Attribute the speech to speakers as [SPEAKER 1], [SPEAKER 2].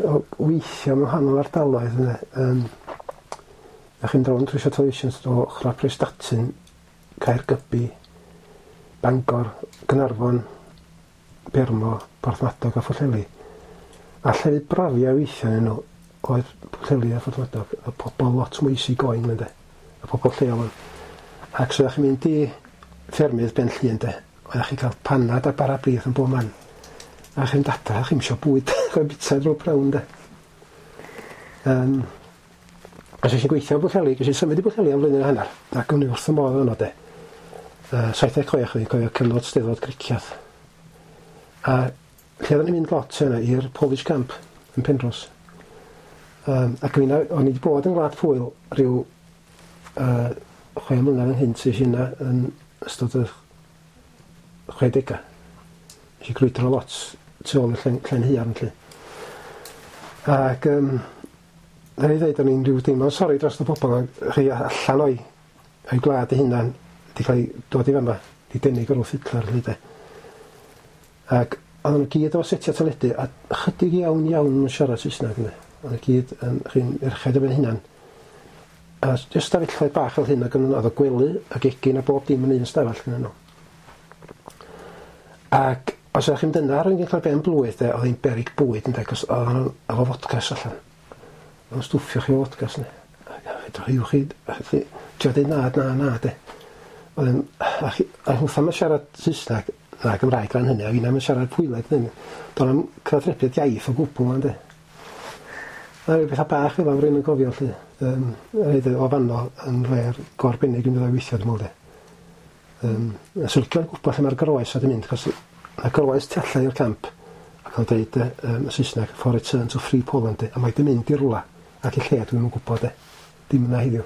[SPEAKER 1] o weithio mewn wahanol ardaloedd ynde. A chi'n rownd trwy televisions o ochr Prestatyn, Caergybi, Bangor, Gaernarfon, Bermo, Porthmadog a Phwllheli. A llefydd brafia weithio yn nhw oedd Pwllheli a Phorthmadog. A pobl lot mwy easy going ynde. A pobl lleol yn. Ac so chi'n mynd i ffermydd Ben Llŷn de, oeddech chi'n cael panad a bara brith yn bob man. A chi'n dada, chi'n isio bwyd, chi'n bita drwy'r prawn de. A so i'n gweithio yn Bwllheli, ges i symud i Bwllheli am flwyddyn a hanner, ac o'n i wrth y modd yno de. 76 o'n i'n cofio cyfnod Steddfod Cricieth. A lle oedden ni'n mynd lot yna i'r Polish Camp yn Penrhos. Ac o'n i wedi bod yn Gwlad Pwyl rhyw 6 mlynedd ynghynt, es i yna yn ystod y 60au. Nes i grwydro lot tu ôl i'r llen haearn 'lly. Ac rhaid i ddweud, o'n i'n rhyw deimlo'n sori dros y bobl chi allan o'i gwlad eu hunan, wedi cael ei dod i fama, wedi dynnu gorwth Hitler 'lly de. Ac oedden nhw gyd efo setiau teledu a chydig iawn iawn yn siarad Saesneg ynde. Oedden nhw gyd yn chi'n merched efo'n hunan. A jyst stafelloedd bach fel hyn, ac yn oedd o gwely ac egin a bob dim yn un stafell gyda nhw. Ac os ydych chi'n mynd yna ar un cael ben blwydd de, oedd hi'n berig bwyd ynde, cos oedden nhw efo fodcas allan. Oedd nhw'n stwffio chi efo fodcas ne. Fedrwch chi, chi, trio deud na, na, na de. Oedd yn, a chi, a hwtha ma'n siarad Saesneg na Gymraeg ran hynny, a finna ma'n siarad Pwyleg ddim. Do'n am cyfathrebiad iaith o gwbl na de. A rhyw bethau bach fel 'na rwy'n yn cofio 'lly. Rhaid o fanno yn le go arbennig i mynd i weithio dwi'n meddwl de. A swn i'n licio gwybod lle mae'r groes wedi mynd, cos mae groes tu allan i'r camp ac o'n deud yn Saesneg, for return to free Poland de, a mae 'di mynd i rwla ac i lle dwi'm yn gwybod de. Dim yna heddiw.